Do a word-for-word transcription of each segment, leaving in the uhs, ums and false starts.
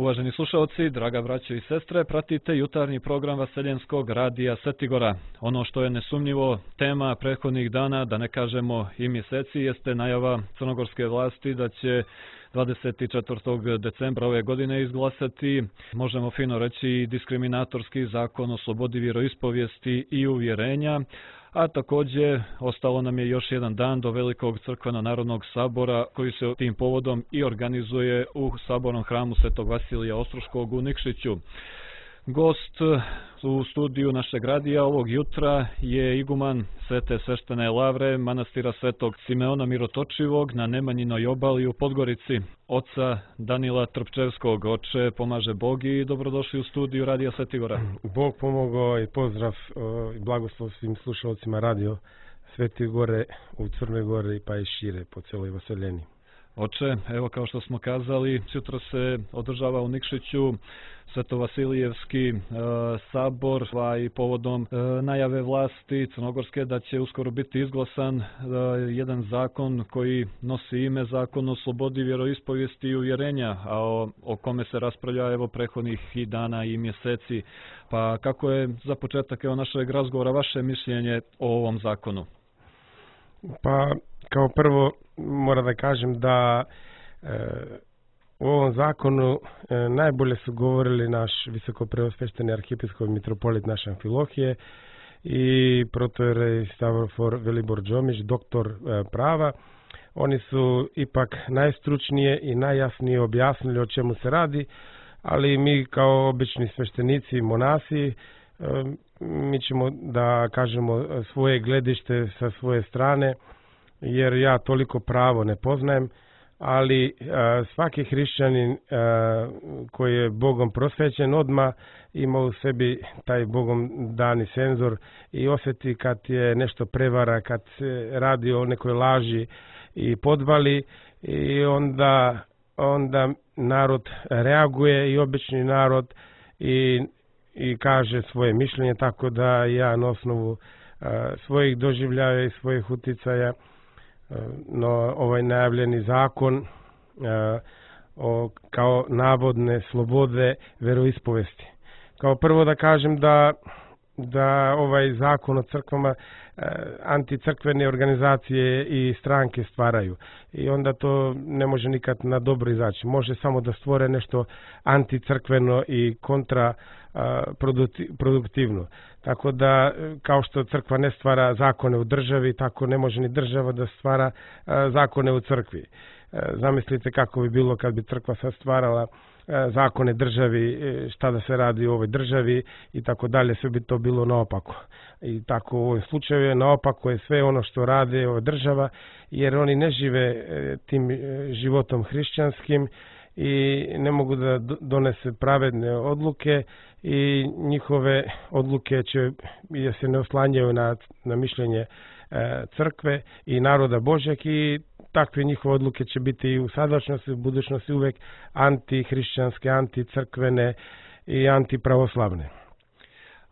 Uvaženi slušalci, draga braćo i sestre, pratite jutarnji program Vaseljenskog radija Svetigora. Ono što je nesumnjivo tema prethodnih dana, da ne kažemo i mjeseci, jeste najava crnogorske vlasti da će dvadeset četvrtog decembra ove godine izglasati, možemo fino reći, diskriminatorski zakon o slobodi vjeroispovijesti i uvjerenja, a također ostalo nam je još jedan dan do Velikog crkveno-narodnog sabora koji se tim povodom i organizuje u sabornom hramu Svetog Vasilija Ostroškog u Nikšiću. Gost u studiju našeg radija ovog jutra je iguman Svete sveštene lavre manastira Svetog Simeona Mirotočivog na Nemanjinoj obali u Podgorici, oca Danila Trpčevskog. Oče, pomaže Bog i dobrodošli u studiju radija Svetigora. Bog pomogao i pozdrav i blagoslov svim slušalcima radio Svetigore u Crnoj Gori pa i šire po celoj Vaseljeni. Oče, evo kao što smo kazali, sutra se održava u Nikšiću Svetovasilijevski e, sabor, a i povodom e, najave vlasti crnogorske da će uskoro biti izglasan e, jedan zakon koji nosi ime Zakon o slobodi vjeroispovijesti i uvjerenja, a o, o kome se raspravlja evo prethodnih i dana i mjeseci. Pa kako je za početak evo našeg razgovora vaše mišljenje o ovom zakonu? Pa kao prvo moram da kažem da e, u ovom zakonu e, najbolje su govorili naš visokopreosvešteni arhijepiskop mitropolit naše Amfilohije i protojerej Stavrofor Velibor Đomić, doktor e, prava. Oni su ipak najstručnije i najjasnije objasnili o čemu se radi, ali mi kao obični sveštenici i monasi e, mi ćemo da kažemo svoje gledište sa svoje strane, jer ja toliko pravo ne poznajem, ali a, svaki hrišćanin a, koji je Bogom prosvećen odmah ima u sebi taj Bogom dani senzor i osjeti kad je nešto prevara, kad se radi o nekoj laži i podvali, i onda, onda narod reaguje i obični narod i, i kaže svoje mišljenje, tako da ja na osnovu a, svojih doživljaja i svojih uticaja no ovaj najavljeni zakon uh, o, kao navodne slobode veroispovesti. Kao prvo da kažem da, da ovaj zakon o crkvama uh, anticrkvene organizacije i stranke stvaraju i onda to ne može nikad na dobro izaći. Može samo da stvore nešto anticrkveno i kontra uh, produktivno. Tako da, kao što crkva ne stvara zakone u državi, tako ne može ni država da stvara a, zakone u crkvi. A, zamislite kako bi bilo kad bi crkva sad stvarala a, zakone državi, šta da se radi u ovoj državi i tako dalje, sve bi to bilo naopako. I tako u ovom slučaju je naopako je sve ono što rade ova država, jer oni ne žive e, tim e, životom hrišćanskim i ne mogu da donese pravedne odluke i njihove odluke će, jer se ne oslanjaju na, na mišljenje e, crkve i naroda Božjeg, i takve njihove odluke će biti i u sadašnjosti, u budućnosti uvek antihrišćanske, anticrkvene i antipravoslavne.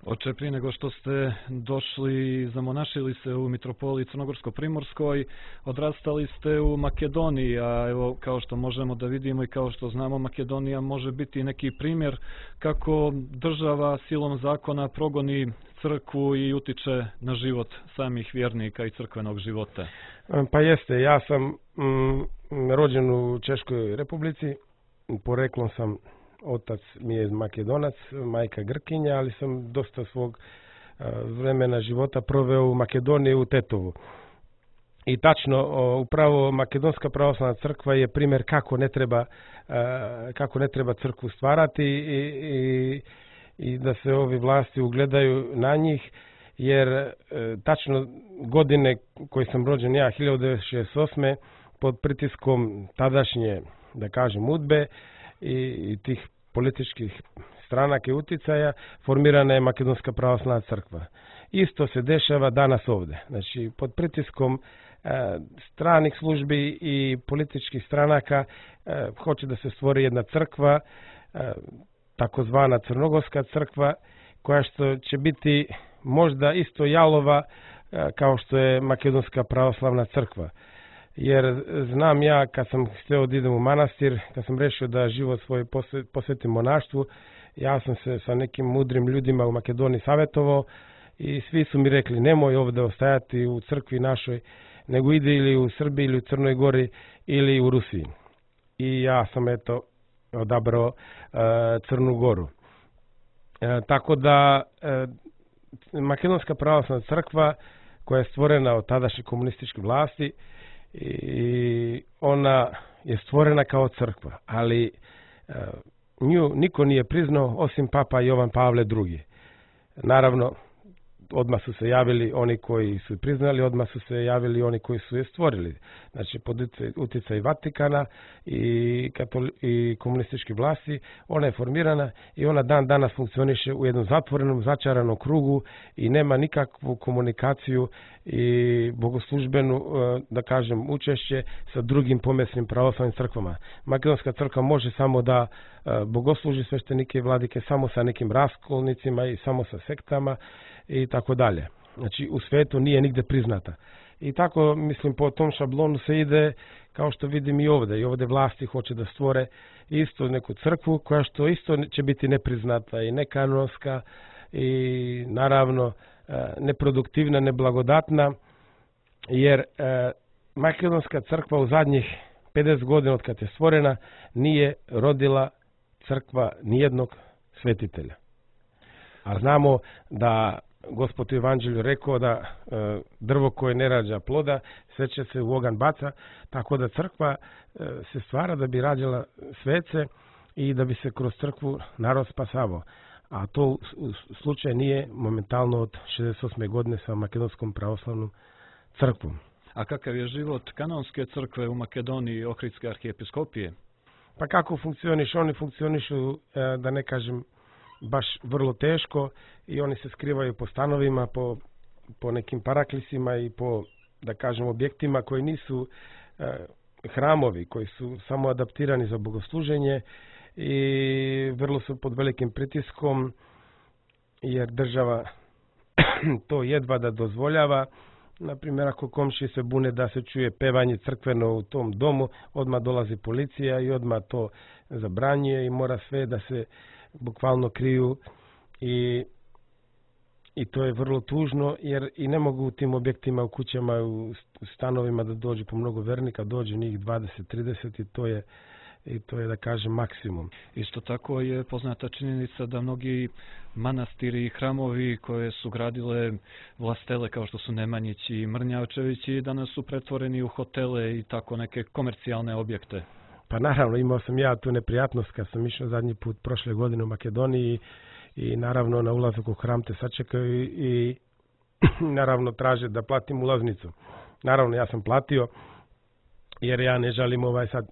Oče, prije nego što ste došli, zamonašili se u mitropoliji Crnogorsko-Primorskoj, odrastali ste u Makedoniji, a evo kao što možemo da vidimo i kao što znamo, Makedonija može biti neki primjer kako država silom zakona progoni crkvu i utiče na život samih vjernika i crkvenog života. Pa jeste, ja sam mm, rođen u Češkoj Republici, poreklom sam, otac mi je Makedonac, majka Grkinja, ali sam dosta svog vremena života proveo u Makedoniji, u Tetovu. I tačno, upravo Makedonska pravoslavna crkva je primjer kako ne treba, kako ne treba crkvu stvarati i, i, i da se ovi vlasti ugledaju na njih, jer tačno godine koje sam rođen ja, hiljadu devetsto šezdeset osme pod pritiskom tadašnje, da kažem, udbe i, i tih političkih stranaka i uticaja, formirana je Makedonska pravoslavna crkva. Isto se dešava danas ovde. Znači, pod pritiskom e, stranih službi i političkih stranaka e, hoće da se stvori jedna crkva, e, takozvana Crnogorska crkva, koja što će biti možda isto jalova e, kao što je Makedonska pravoslavna crkva. jer znam ja kad sam htio da idem u manastir, kad sam rešio da život svoj posvetim monaštvu, ja sam se sa nekim mudrim ljudima u Makedoniji savjetovao i svi su mi rekli nemoj ovdje ostajati u crkvi našoj, nego ide ili u Srbiji ili u Crnoj Gori ili u Rusiji. I ja sam eto odabrao uh, Crnu Goru. Uh, tako da uh, Makedonska pravoslavna crkva koja je stvorena od tadašnje komunističke vlasti i ona je stvorena kao crkva, ali uh, nju niko nije priznao osim Papa Jovan Pavle drugi. Naravno, odmah su se javili oni koji su priznali, odmah su se javili oni koji su je stvorili. Znači, pod utjecaj Vatikana i, katoli, i komunističke vlasti, ona je formirana i ona dan danas funkcioniše u jednom zatvorenom, začaranom krugu i nema nikakvu komunikaciju i bogoslužbenu, da kažem, učešće sa drugim pomesnim pravoslavnim crkvama. Makedonska crkva može samo da bogosluži sveštenike i vladike samo sa nekim raskolnicima i samo sa sektama i tako dalje. Znači, u svetu nije nigde priznata. I tako, mislim, po tom šablonu se ide, kao što vidim i ovdje. I ovdje vlasti hoće da stvore isto neku crkvu, koja što isto će biti nepriznata i nekanonska i naravno neproduktivna, neblagodatna, jer e, Makedonska crkva u zadnjih pedeset godina od kad je stvorena nije rodila crkva nijednog svetitelja. A znamo da Gospod u Evanđelju rekao da e, drvo koje ne rađa ploda, sve će se u ogan baca, tako da crkva e, se stvara da bi rađala svece i da bi se kroz crkvu narod spasavao. A to u, u slučaj nije momentalno od šezdeset osme godine sa Makedonskom pravoslavnom crkvom. A kakav je život kanonske crkve u Makedoniji i Ohridske arhijepiskopije? Pa kako funkcionišu? Oni funkcionišu, e, da ne kažem, baš vrlo teško i oni se skrivaju po stanovima, po, po nekim paraklisima i po, da kažem, objektima koji nisu e, hramovi, koji su samo adaptirani za bogosluženje i vrlo su pod velikim pritiskom jer država to jedva da dozvoljava. Naprimjer, ako komši se bune da se čuje pevanje crkveno u tom domu, odmah dolazi policija i odmah to zabranjuje i mora sve da se bukvalno kriju i, i to je vrlo tužno jer i ne mogu u tim objektima, u kućama, u stanovima da dođe po mnogo vernika, dođe njih dvadeset trideset i to je i to je, da kažem, maksimum. Isto tako je poznata činjenica da mnogi manastiri i hramovi koje su gradile vlastele kao što su Nemanjići i Mrnjavčevići danas su pretvoreni u hotele i tako neke komercijalne objekte. Pa naravno, imao sam ja tu neprijatnost kad sam išao zadnji put prošle godine u Makedoniji i naravno na ulazak u hram te sačekaju i naravno traže da platim ulaznicu. Naravno, ja sam platio jer ja ne želim ovaj sad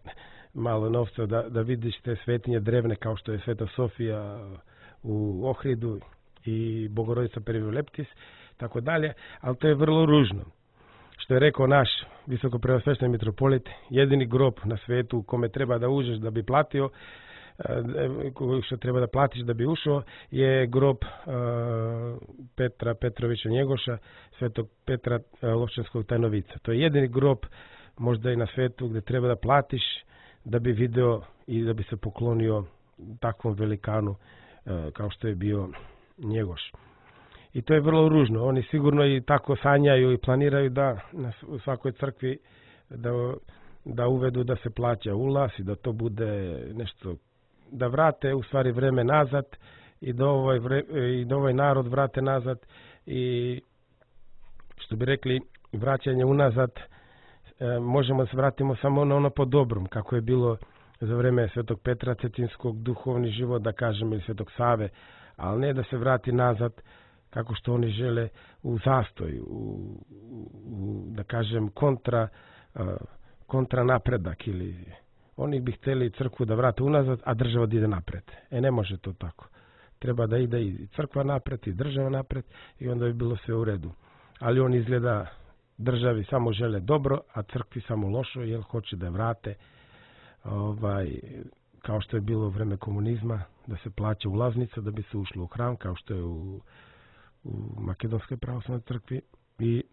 malo novca da, da vidiš te svetinje drevne kao što je Sveta Sofija u Ohridu i Bogorodica Perivoleptis, tako dalje, ali to je vrlo ružno. Što je rekao naš visokopreosvećeni mitropolit, jedini grob na svetu u kome treba da uđeš da bi platio, što treba da platiš da bi ušao, je grob Petra Petrovića Njegoša, Svetog Petra Lovčanskog Tajnovica. To je jedini grob možda i na svetu gdje treba da platiš da bi video i da bi se poklonio takvom velikanu kao što je bio Njegoš. I to je vrlo ružno. Oni sigurno i tako sanjaju i planiraju da na svakoj crkvi da, da uvedu da se plaća ulaz i da to bude nešto, da vrate u stvari vreme nazad i da ovaj, vre, i da ovaj narod vrate nazad i što bi rekli vraćanje unazad e, možemo da se vratimo samo na ono po dobrom kako je bilo za vreme Svetog Petra Cetinskog, duhovni život, da kažem, ili Svetog Save, ali ne da se vrati nazad kako što oni žele u zastoj, u, u da kažem kontra, kontra napredak ili oni bi htjeli crkvu da vrate unazad, a država da ide napred. E ne može to tako. Treba da ide i crkva napred i država napred i onda bi bilo sve u redu. Ali on izgleda državi samo žele dobro, a crkvi samo lošo jer hoće da vrate ovaj, kao što je bilo u vreme komunizma, da se plaća ulaznica da bi se ušlo u hram, kao što je u u Makedonskoj pravoslavnoj crkvi i,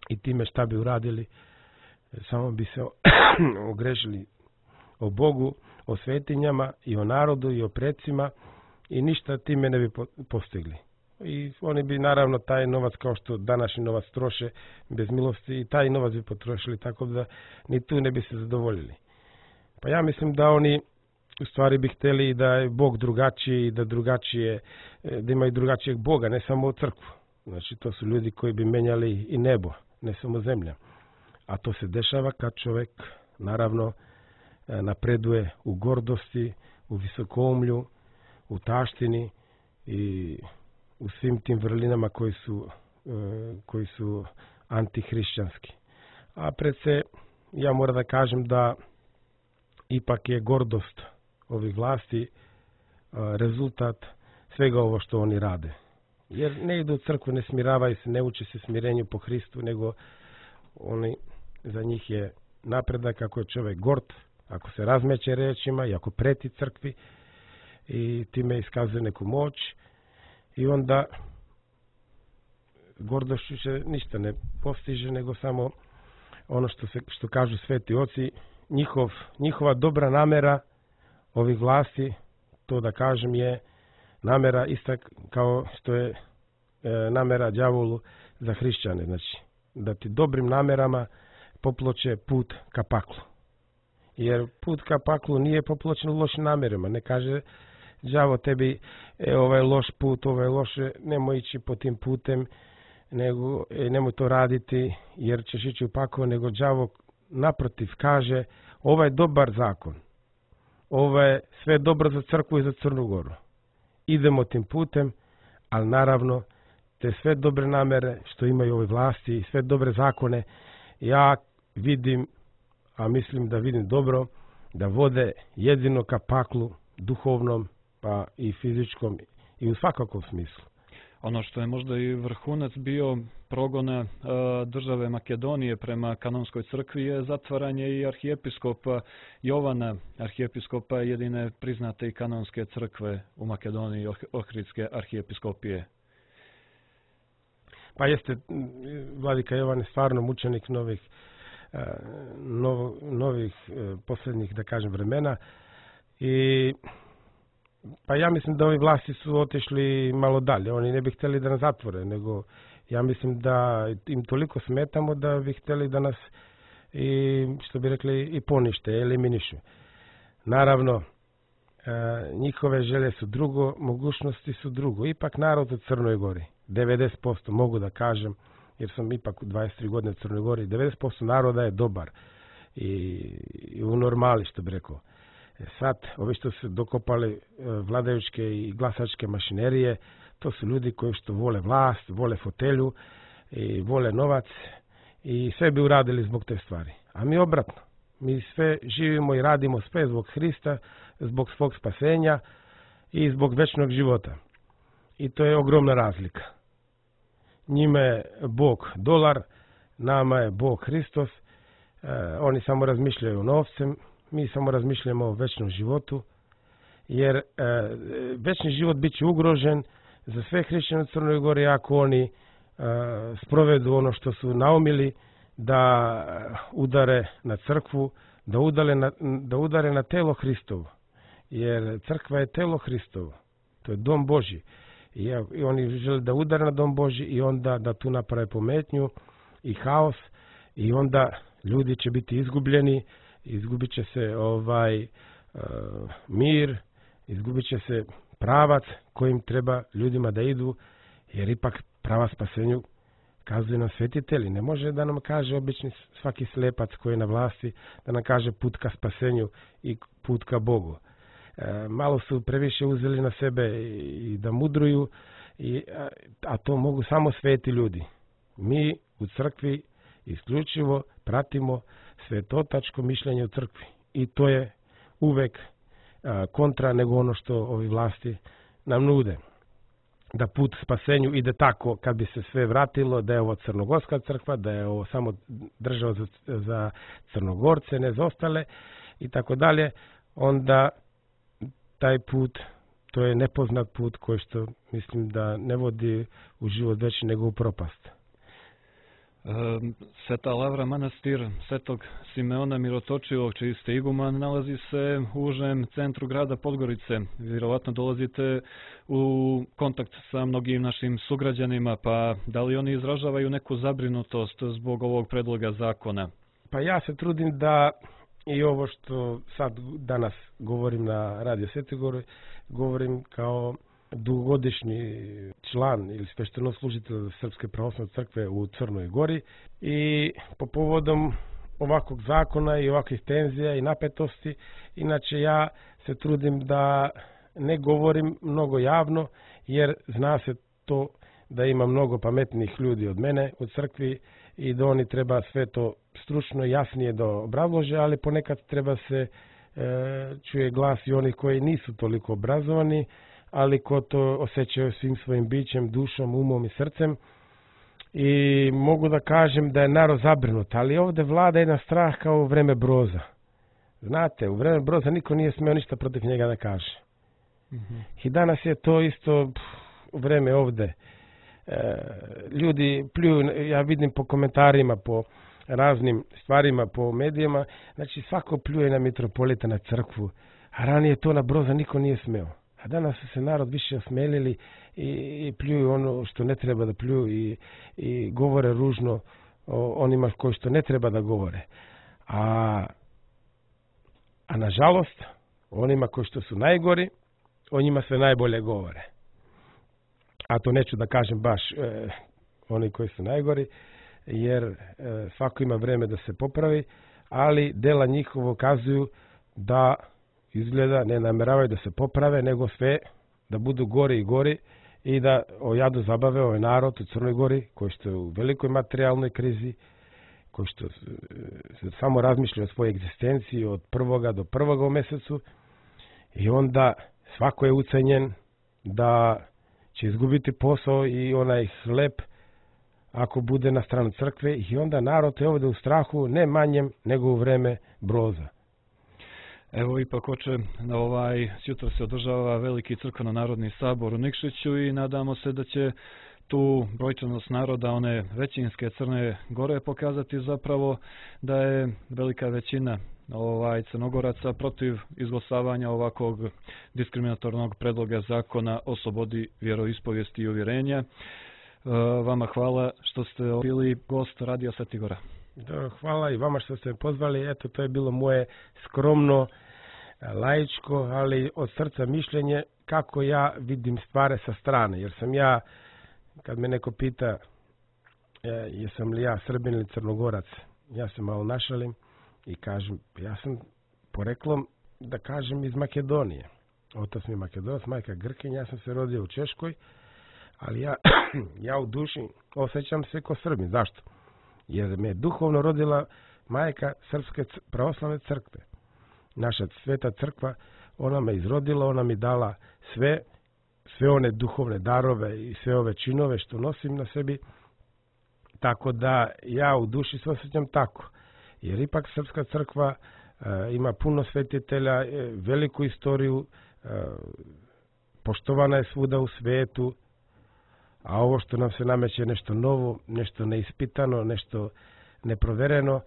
i time šta bi uradili, samo bi se ogrešili o Bogu, o svetinjama i o narodu i o predsima i ništa time ne bi postigli. I oni bi naravno taj novac, kao što današnji novac troše bez milosti, i taj novac bi potrošili, tako da ni tu ne bi se zadovoljili. Pa ja mislim da oni u stvari bi htjeli da je Bog drugačiji, da drugačije, da imaju drugačijeg Boga, ne samo crkvu. Znači to su ljudi koji bi menjali i nebo, ne samo zemlja. A to se dešava kad čovjek naravno napreduje u gordosti, u visokoumlju, u taštini i u svim tim vrlinama koji su, koji su antihrišćanski. A pred se, ja moram da kažem da ipak je gordost ovih vlasti rezultat svega ovo što oni rade. Jer ne idu u crkvu, ne smiravaju se, ne uče se smirenju po Hristu, nego oni, za njih je napredak ako je čovjek gord, ako se razmeće rečima i ako preti crkvi i time iskazuje neku moć, i onda gordošću se ništa ne postiže, nego samo ono što, se, što kažu sveti oci, njihov, njihova dobra namera ovih vlasti, to da kažem, je namera ista kao što je e, namera đavolu za hrišćane. Znači, da ti dobrim namerama poploče put ka paklu. Jer put ka paklu nije popločen lošim namerama. Ne kaže đavo tebi, e, ovaj loš put, ovaj loše, nemoj ići po tim putem, nego e, nemoj to raditi jer ćeš ići u pakao, nego đavo naprotiv kaže, ovaj dobar zakon, ovo je sve dobro za crkvu i za Crnu Goru. Idemo tim putem, ali naravno te sve dobre namere što imaju ove vlasti i sve dobre zakone, ja vidim, a mislim da vidim dobro, da vode jedino ka paklu, duhovnom, pa i fizičkom i u svakakvom smislu. Ono što je možda i vrhunac bio progona e, države Makedonije prema kanonskoj crkvi je zatvaranje i arhijepiskopa Jovana, arhijepiskopa jedine priznate i kanonske crkve u Makedoniji, Ohridske arhijepiskopije. Pa jeste, vladika Jovan je stvarno mučenik novih, nov, novih posljednjih, da kažem, vremena. I pa ja mislim da ovi vlasti su otišli malo dalje. Oni ne bi htjeli da nas zatvore, nego ja mislim da im toliko smetamo da bi htjeli da nas, i što bi rekli, i ponište, eliminišu. Naravno, njihove želje su drugo, mogućnosti su drugo. Ipak narod u Crnoj Gori, devedeset posto mogu da kažem, jer sam ipak u dvadeset tri godine u Crnoj Gori, devedeset posto naroda je dobar i, i u normali, što bi rekao. Sad, ovi što su dokopali vladajućke i glasačke mašinerije, to su ljudi koji što vole vlast, vole fotelju i vole novac i sve bi uradili zbog te stvari. A mi obratno, mi sve živimo i radimo sve zbog Hrista, zbog svog spasenja i zbog večnog života. I to je ogromna razlika. Njima je Bog dolar, nama je Bog Hristos, e, oni samo razmišljaju o novcem, mi samo razmišljamo o večnom životu, jer e, večni život bit će ugrožen za sve hrišćane u Crnoj Gori ako oni e, sprovedu ono što su naumili, da udare na crkvu, da udare na, da udare na telo Hristovo. Jer crkva je telo Hristovo, to je dom Božji. I, i oni žele da udare na dom Božji i onda da tu naprave pometnju i haos i onda ljudi će biti izgubljeni, izgubit će se ovaj uh, mir, izgubit će se pravac kojim treba ljudima da idu, jer ipak prava spasenju kazuje nam svetitelji. Ne može da nam kaže obični svaki slepac koji je na vlasti, da nam kaže put ka spasenju i put ka Bogu. E, malo su previše uzeli na sebe i, i da mudruju, i, a, a to mogu samo sveti ljudi. Mi u crkvi isključivo pratimo svetotačko mišljenje u crkvi i to je uvek a, kontra nego ono što ovi vlasti nam nude. Da put spasenju ide tako kad bi se sve vratilo, da je ovo crnogorska crkva, da je ovo samo država za, za Crnogorce, ne za ostale i tako dalje, onda taj put, to je nepoznat put koji što mislim da ne vodi u život veći nego u propast. Sveta Lavra manastir Svetog Simeona Mirotočivog, čiji ste iguman, nalazi se u užem centru grada Podgorice. Vjerovatno dolazite u kontakt sa mnogim našim sugrađanima, pa da li oni izražavaju neku zabrinutost zbog ovog predloga zakona? Pa ja se trudim da i ovo što sad danas govorim na Radio Svetigori, govorim kao dugogodišnji član ili sveštenoslужitelj Srpske pravoslavne crkve u Crnoj Gori i po povodom ovakvog zakona i ovakvih tenzija i napetosti, inače ja se trudim da ne govorim mnogo javno, jer zna se to da ima mnogo pametnih ljudi od mene u crkvi i da oni treba sve to stručno jasnije da obrazlože, ali ponekad treba se e, čuje glas i onih koji nisu toliko obrazovani, ali ko to osjećaju svim svojim bićem, dušom, umom i srcem. I mogu da kažem da je narod zabrinut, ali ovdje vlada jedan strah kao u vreme Broza. Znate, u vreme Broza niko nije smeo ništa protiv njega da kaže. Mm-hmm. I danas je to isto pff, u vreme ovdje. E, ljudi pljuju, ja vidim po komentarima, po raznim stvarima, po medijima, znači svako pljuje na mitropolita, na crkvu, a ranije to na Broza niko nije smeo. A danas su se narod više osmelili i, i pljuju ono što ne treba da pljuju i, i govore ružno o onima koji što ne treba da govore. A, a nažalost, onima koji što su najgori, o njima sve najbolje govore. A to neću da kažem baš e, oni koji su najgori, jer e, svako ima vreme da se popravi, ali dela njihovo kazuju da izgleda ne nameravaju da se poprave, nego sve da budu gori i gori i da o jadu zabave ovaj narod u Crnoj Gori, koji što je u velikoj materijalnoj krizi, koji što se samo razmišlja o svojoj egzistenciji od prvoga do prvoga u mesecu, i onda svako je ucenjen da će izgubiti posao i onaj hleb ako bude na stranu crkve, i onda narod je ovdje u strahu ne manjem nego u vreme Broza. Evo ipak oče, ovaj, sutra se održava veliki crkveno-narodni sabor u Nikšiću i nadamo se da će tu brojčanost naroda, one većinske Crne Gore, pokazati zapravo da je velika većina ovaj, Crnogoraca protiv izglasavanja ovakvog diskriminatornog predloga zakona o slobodi vjeroispovijesti i uvjerenja. Vama hvala što ste bili gost Radio Svetigora. Da, hvala i vama što ste me pozvali. Eto, to je bilo moje skromno, laičko, ali od srca mišljenje kako ja vidim stvari sa strane. Jer sam ja, kad me neko pita e, jesam li ja Srbin ili Crnogorac, ja se malo našalim i kažem, ja sam poreklom, da kažem, iz Makedonije. Otac mi je Makedonac, majka Grkinja, ja sam se rodio u Češkoj, ali ja, ja u duši osjećam se ko Srbin. Zašto? Jer me je duhovno rodila majka Srpske pravoslavne crkve. Naša sveta crkva, ona me izrodila, ona mi dala sve, sve one duhovne darove i sve ove činove što nosim na sebi, tako da ja u duši se osjećam tako. Jer ipak Srpska crkva e, ima puno svetitelja, e, veliku istoriju, e, poštovana je svuda u svetu, a ovo što nam se nameće nešto novo, nešto neispitano, nešto neprovereno,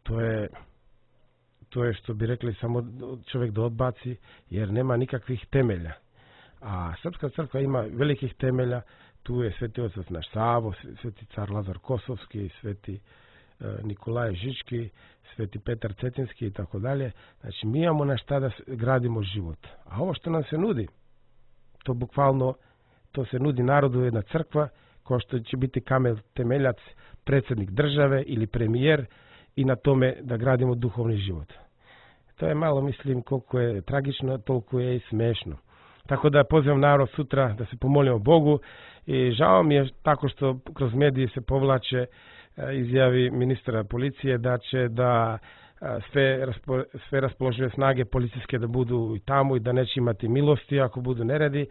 to je, to je što bi rekli samo čovjek da odbaci, jer nema nikakvih temelja. A Srpska crkva ima velikih temelja, tu je sveti otac naš Savo, sveti car Lazar Kosovski, sveti e, Nikolaj Žički, sveti Petar Cetinski i tako dalje. Znači mi imamo na šta da gradimo život. A ovo što nam se nudi, to bukvalno to se nudi narodu jedna crkva, kao što će biti kamen temeljac predsjednik države ili premijer, i na tome da gradimo duhovni život. To je malo, mislim, koliko je tragično, toliko je i smešno. Tako da pozivam narod sutra da se pomolimo Bogu, i žao mi je tako što kroz medije se povlače izjavi ministra policije da će da sve, raspo, sve raspoložive snage policijske da budu i tamo i da neće imati milosti ako budu neredi.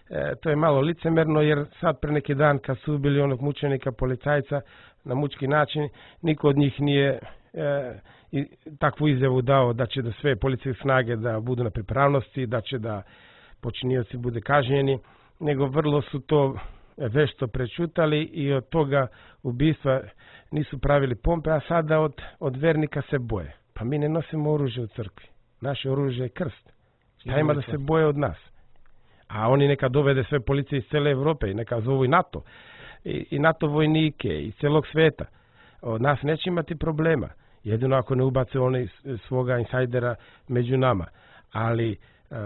E, to je malo licemerno, jer sad pre neki dan kad su ubili onog mučenika policajca na mučki način, niko od njih nije e, i, takvu izjavu dao da će da sve policijske snage da budu na pripravnosti, da će da počinioci bude kažnjeni, nego vrlo su to vešto prečutali i od toga ubistva nisu pravili pompe, a sada od, od vernika se boje. Pa mi ne nosimo oružje u crkvi. Naše oružje je krst. Šta ima da se boje od nas? A oni neka dovede sve policije iz cele Evrope i neka zovu i NATO. I, i NATO vojnike i celog sveta. Od nas neće imati problema. Jedino ako ne ubace oni svoga insajdera među nama. Ali uh,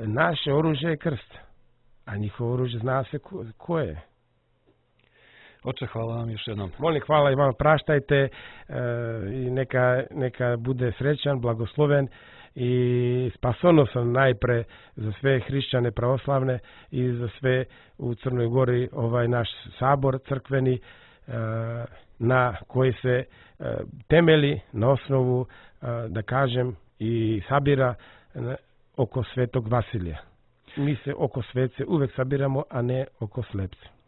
naše oružje je krst. A njihovo oružje zna se ko, ko je. Oče, hvala vam još jednom. Molim, hvala i vam, praštajte e, i neka, neka bude srećan, blagosloven i spasonosan najpre za sve hrišćane pravoslavne i za sve u Crnoj Gori ovaj naš sabor crkveni e, na koji se e, temeli na osnovu, e, da kažem, i sabira e, oko Svetog Vasilija. Mi se oko svece uvek sabiramo, a ne oko slepce.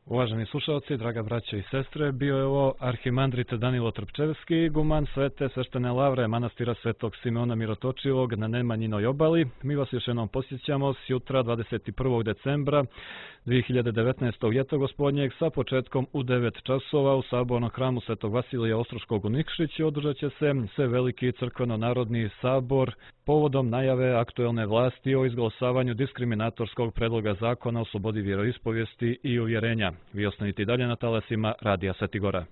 Uvaženi slušalci, draga braća i sestre, bio je ovo arhimandrit Danilo Trpčevski, guman Svete sveštene lavre manastira Svetog Simeona Mirotočivog na Nemanjinoj obali. Mi vas još jednom posjećamo s jutra dvadeset prvog decembra dve hiljade devetnaeste. ljeto gospodnjeg sa početkom u devet časova u sabornom hramu Svetog Vasilija Ostroškog u Nikšići održat će se sve veliki crkveno-narodni sabor povodom najave aktuelne vlasti o izglasavanju diskriminatorskog predloga zakona o slobodi vjeroispovijesti i uvjerenja. Vi ostanite i dalje na talasima Radija Svetigora.